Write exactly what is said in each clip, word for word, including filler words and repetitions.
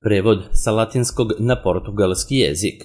Prevod sa latinskog na portugalski jezik.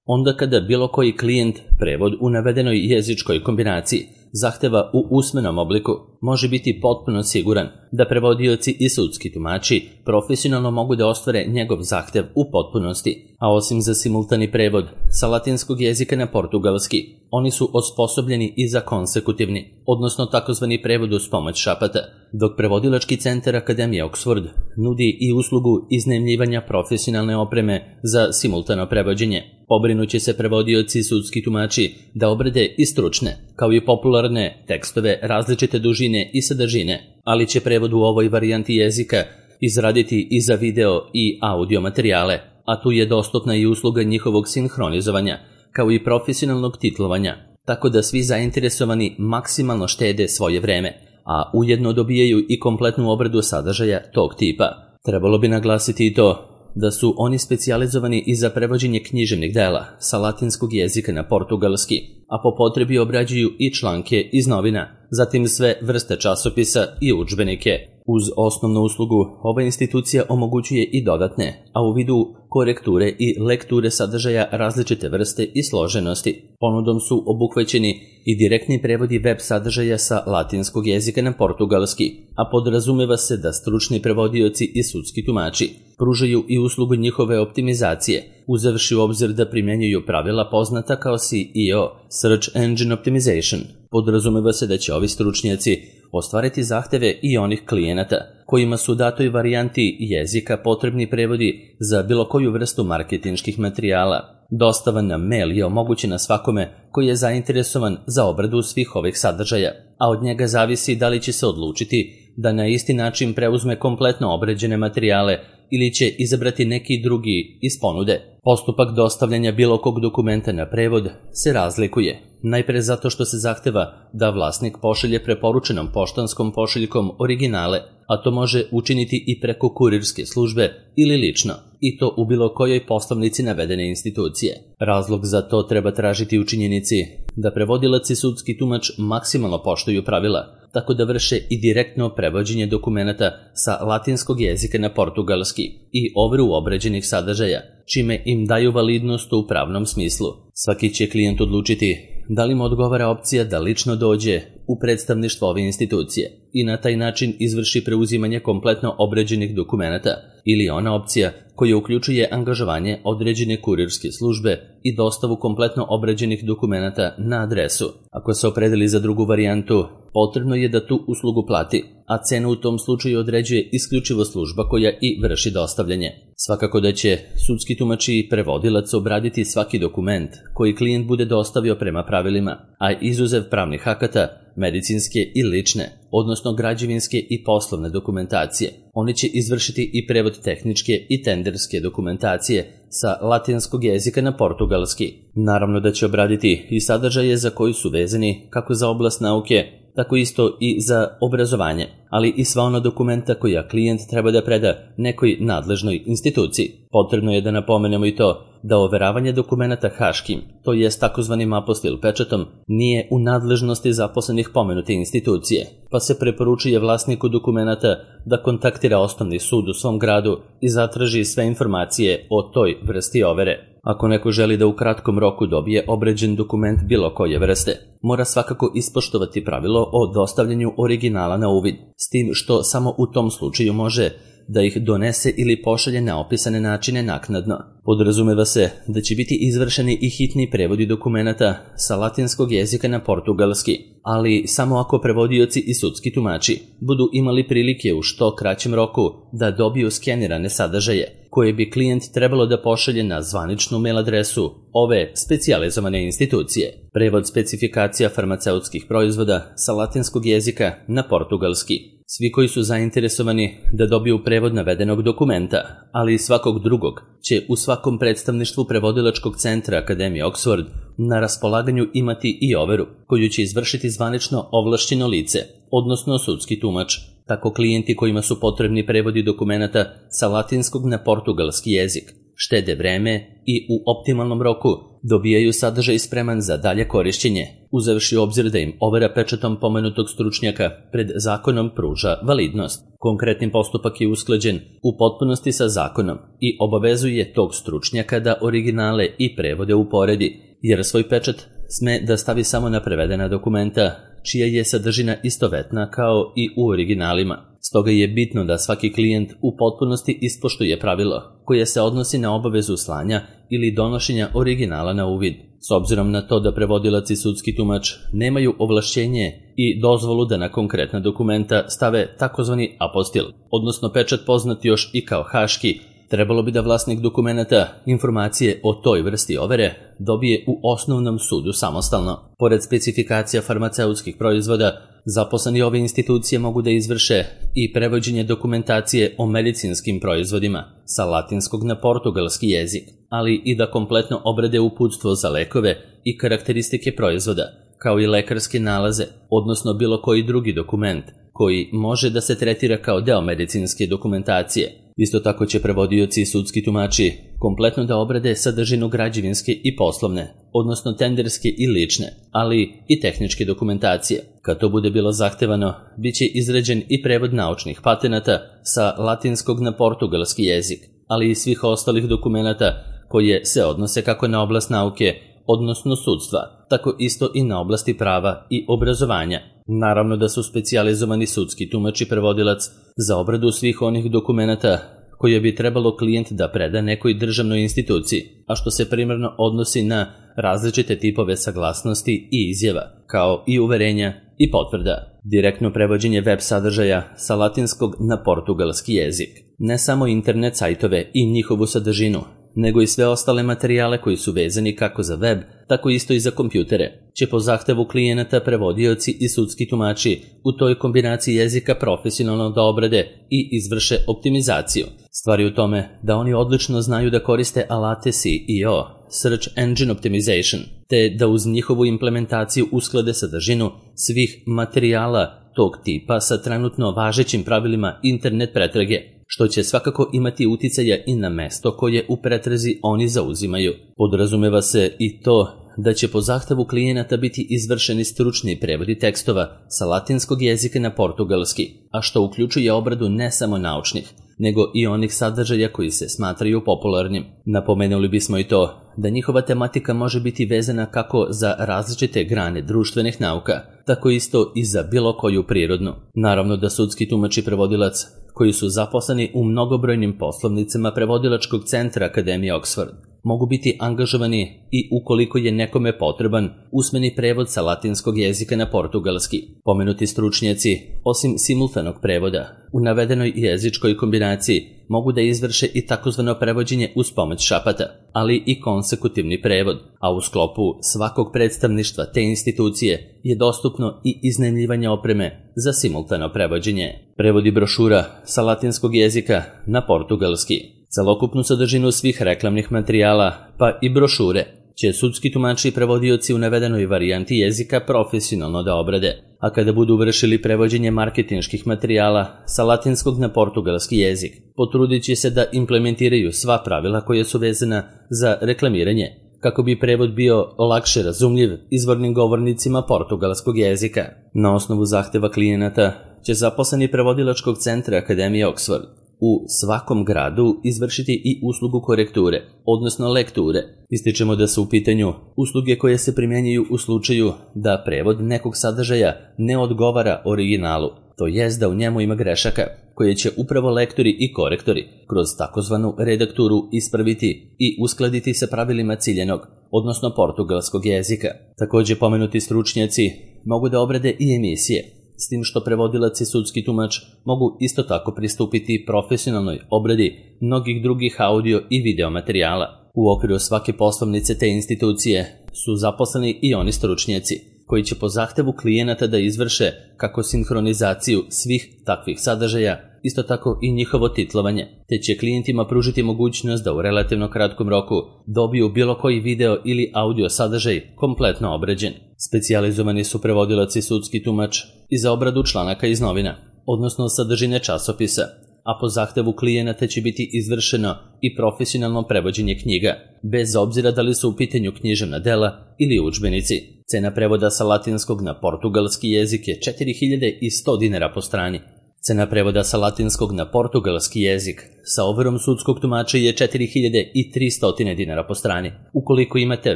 Onda kada bilo koji klijent prevod u navedenoj jezičkoj kombinaciji zahteva u usmenom obliku, može biti potpuno siguran da prevodioci i sudski tumači profesionalno mogu da ostvare njegov zahtev u potpunosti, a osim za simultani prevod sa latinskog jezika na portugalski, oni su osposobljeni i za konsekutivni, odnosno takozvani prevod uz pomoć šapata, dok prevodilački centar Akademije Oxford nudi i uslugu iznajmljivanja profesionalne opreme za simultano prevođenje. Pobrinuće se prevodioci i sudski tumači da obrade i stručne, kao i popularne tekstove različite dužine i sadržine, ali će prevod u ovoj varijanti jezika izraditi i za video i audio materijale, a tu je dostupna i usluga njihovog sinhronizovanja, kao i profesionalnog titlovanja, tako da svi zainteresovani maksimalno štede svoje vreme, a ujedno dobijaju i kompletnu obradu sadržaja tog tipa. Trebalo bi naglasiti i to da su oni specijalizovani i za prevođenje književnih dela sa latinskog jezika na portugalski, a po potrebi obrađuju i članke iz novina, zatim sve vrste časopisa i udžbenike. Uz osnovnu uslugu, ova institucija omogućuje i dodatne, a u vidu korekture i lekture sadržaja različite vrste i složenosti. Ponudom su obuhvaćeni i direktni prevodi web sadržaja sa latinskog jezika na portugalski, a podrazumeva se da stručni prevodioci i sudski tumači pružaju i uslugu njihove optimizacije, uzevši u obzir da primjenjuju pravila poznata kao S E O, Search Engine Optimization. Podrazumeva se da će ovi stručnjaci ostvariti zahteve i onih klijenata kojima su u datoj varijanti jezika potrebni prevodi za bilo koju vrstu marketinških materijala. Dostava na mail je omogućena svakome koji je zainteresovan za obradu svih ovih sadržaja, a od njega zavisi da li će se odlučiti da na isti način preuzme kompletno obrađene materijale ili će izabrati neki drugi iz ponude. Postupak dostavljanja bilo kog dokumenta na prevod se razlikuje, najpre zato što se zahteva da vlasnik pošalje preporučenom poštanskom pošiljkom originale, a to može učiniti i preko kurirske službe ili lično, i to u bilo kojoj poslovnici navedene institucije. Razlog za to treba tražiti u činjenici da prevodilac i sudski tumač maksimalno poštuju pravila, tako da vrše i direktno prevođenje dokumenata sa latinskog jezika na portugalski i overu obrađenih sadržaja, čime im daju validnost u pravnom smislu. Svaki će klijent odlučiti da li mu odgovara opcija da lično dođe u predstavništvo ove institucije i na taj način izvrši preuzimanje kompletno obrađenih dokumenata, ili ona opcija koja uključuje angažovanje određene kurirske službe i dostavu kompletno obrađenih dokumenata na adresu. Ako se opredeli za drugu varijantu, potrebno je da tu uslugu plati, a cenu u tom slučaju određuje isključivo služba koja i vrši dostavljanje. Svakako da će sudski tumač i prevodilac obraditi svaki dokument koji klijent bude dostavio prema pravilima, a izuzev pravnih akata, medicinske i lične, odnosno građevinske i poslovne dokumentacije. Oni će izvršiti i prevod tehničke i tenderske dokumentacije sa latinskog jezika na portugalski. Naravno da će obraditi i sadržaje za koji su vezani kako za oblast nauke, tako isto i za obrazovanje, ali i sva ona dokumenta koja klijent treba da preda nekoj nadležnoj instituciji. Potrebno je da napomenemo i to da overavanje dokumenata haškim, to jest takozvanim apostil pečatom, nije u nadležnosti zaposlenih pomenute institucije, pa se preporučuje vlasniku dokumenata da kontaktira osnovni sud u svom gradu i zatraži sve informacije o toj vrsti overe. Ako neko želi da u kratkom roku dobije obrađen dokument bilo koje vrste, mora svakako ispoštovati pravilo o dostavljanju originala na uvid, s tim što samo u tom slučaju može da ih donese ili pošalje na opisane načine naknadno. Podrazumeva se da će biti izvršeni i hitni prevodi dokumenata sa latinskog jezika na portugalski, ali samo ako prevodioci i sudski tumači budu imali prilike u što kraćem roku da dobiju skenirane sadržaje, koje bi klijent trebalo da pošalje na zvaničnu mail adresu ove specijalizovane institucije. Prevod specifikacija farmaceutskih proizvoda sa latinskog jezika na portugalski. Svi koji su zainteresovani da dobiju prevod navedenog dokumenta, ali i svakog drugog, će u svakom predstavništvu prevodilačkog centra Akademije Oxford na raspolaganju imati i overu, koju će izvršiti zvanično ovlašćeno lice, odnosno sudski tumač. Tako klijenti kojima su potrebni prevodi dokumenata sa latinskog na portugalski jezik štede vreme i u optimalnom roku dobijaju sadržaj spreman za dalje korišćenje uzevši u obzir da im overa pečatom pomenutog stručnjaka pred zakonom pruža validnost. Konkretni postupak je usklađen u potpunosti sa zakonom i obavezuje tog stručnjaka da originale i prevode uporedi, jer svoj pečat sme da stavi samo na prevedena dokumenta, čija je sadržina istovetna kao i u originalima. Stoga je bitno da svaki klijent u potpunosti ispoštuje pravilo koje se odnosi na obavezu slanja ili donošenja originala na uvid. S obzirom na to da prevodilac i sudski tumač nemaju ovlašćenje i dozvolu da na konkretna dokumenta stave takozvani apostil, odnosno pečat poznat još i kao haški, trebalo bi da vlasnik dokumenata informacije o toj vrsti overe dobije u osnovnom sudu samostalno. Pored specifikacija farmaceutskih proizvoda, zaposleni ove institucije mogu da izvrše i prevođenje dokumentacije o medicinskim proizvodima sa latinskog na portugalski jezik, ali i da kompletno obrade uputstvo za lekove i karakteristike proizvoda, kao i lekarske nalaze, odnosno bilo koji drugi dokument koji može da se tretira kao deo medicinske dokumentacije. Isto tako će prevodioci i sudski tumači kompletno da obrade sadržinu građevinske i poslovne, odnosno tenderske i lične, ali i tehničke dokumentacije. Kad to bude bilo zahtevano, bit će izrađen i prevod naučnih patenata sa latinskog na portugalski jezik, ali i svih ostalih dokumenata koje se odnose kako na oblast nauke, odnosno sudstva, tako isto i na oblasti prava i obrazovanja. Naravno da su specijalizovani sudski tumač i prevodilac za obradu svih onih dokumenata koje bi trebalo klijent da preda nekoj državnoj instituciji, a što se primarno odnosi na različite tipove saglasnosti i izjava, kao i uverenja i potvrda. Direktno prevođenje web sadržaja sa latinskog na portugalski jezik. Ne samo internet sajtove i njihovu sadržinu, nego i sve ostale materijale koji su vezani kako za web, tako isto i za kompjutere, će po zahtevu klijenata prevodioci i sudski tumači u toj kombinaciji jezika profesionalno da obrade i izvrše optimizaciju. Stvar je u tome da oni odlično znaju da koriste alate S E O, Search Engine Optimization, te da uz njihovu implementaciju usklade sadržinu svih materijala tog tipa sa trenutno važećim pravilima internet pretrage, što će svakako imati uticaja i na mesto koje u pretrazi oni zauzimaju. Podrazumeva se i to da će po zahtevu klijenata biti izvršeni stručni prevodi tekstova sa latinskog jezika na portugalski, a što uključuje obradu ne samo naučnih, nego i onih sadržaja koji se smatraju popularnim. Napomenuli bismo i to da njihova tematika može biti vezana kako za različite grane društvenih nauka, tako isto i za bilo koju prirodnu. Naravno da sudski tumač i prevodilac koji su zaposleni u mnogobrojnim poslovnicama prevodilačkog centra Akademije Oxford mogu biti angažovani i ukoliko je nekome potreban usmeni prevod sa latinskog jezika na portugalski. Pomenuti stručnjaci, osim simultanog prevoda, u navedenoj jezičkoj kombinaciji mogu da izvrše i takozvano prevođenje uz pomoć šapata, ali i konsekutivni prevod, a u sklopu svakog predstavništva te institucije je dostupno i iznajmljivanje opreme za simultano prevođenje. Prevodi brošura sa latinskog jezika na portugalski. Celokupnu sadržinu svih reklamnih materijala, pa i brošure, će sudski tumači i prevodioci u navedenoj varijanti jezika profesionalno da obrade, a kada budu vršili prevođenje marketinških materijala sa latinskog na portugalski jezik, potrudit će se da implementiraju sva pravila koja su vezana za reklamiranje, kako bi prevod bio lakše razumljiv izvornim govornicima portugalskog jezika. Na osnovu zahteva klijenata će zaposleni prevodilačkog centra Akademije Oxford u svakom gradu izvršiti i uslugu korekture, odnosno lekture. Ističemo da su u pitanju usluge koje se primjenjuju u slučaju da prevod nekog sadržaja ne odgovara originalu, to jest da u njemu ima grešaka, koje će upravo lektori i korektori kroz takozvanu redakturu ispraviti i uskladiti sa pravilima ciljenog, odnosno portugalskog jezika. Također pomenuti stručnjaci mogu da obrade i emisije, s tim što prevodilac i sudski tumač mogu isto tako pristupiti profesionalnoj obradi mnogih drugih audio i video materijala. U okviru svake poslovnice te institucije su zaposleni i oni stručnjaci, koji će po zahtevu klijenata da izvrše kako sinhronizaciju svih takvih sadržaja, isto tako i njihovo titlovanje, te će klijentima pružiti mogućnost da u relativno kratkom roku dobiju bilo koji video ili audio sadržaj kompletno obrađen. Specijalizovani su prevodilac i sudski tumač i za obradu članaka iz novina, odnosno sadržine časopisa, a po zahtevu klijenata će biti izvršeno i profesionalno prevođenje knjiga, bez obzira da li su u pitanju književna dela ili udžbenici. Cena prevoda sa latinskog na portugalski jezik je četiri hiljade sto dinara po strani. Cena prevoda sa latinskog na portugalski jezik sa overom sudskog tumača je četiri hiljade tristo dinara po strani. Ukoliko imate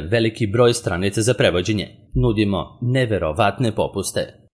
veliki broj stranica za prevođenje, nudimo neverovatne popuste.